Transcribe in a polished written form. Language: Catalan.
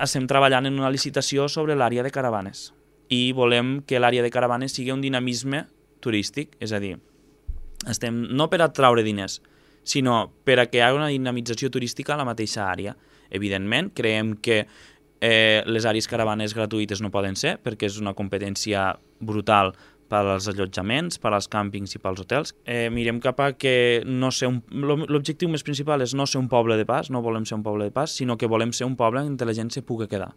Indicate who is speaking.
Speaker 1: estem treballant en una licitació sobre l'àrea de caravanes i volem que l'àrea de caravanes sigui un dinamisme turístic, és a dir, estem no per atraure diners, sinó per a que hi hagi una dinamització turística a la mateixa àrea. Evidentment, creiem que les àrees caravanes gratuïtes no poden ser, perquè és una competència brutal per als allotjaments, per als càmpings i pels hotels. Mirem cap a que no ser l'objectiu més principal és no ser un poble de pas, no volem ser un poble de pas, sinó que volem ser un poble on la gent se pugui quedar.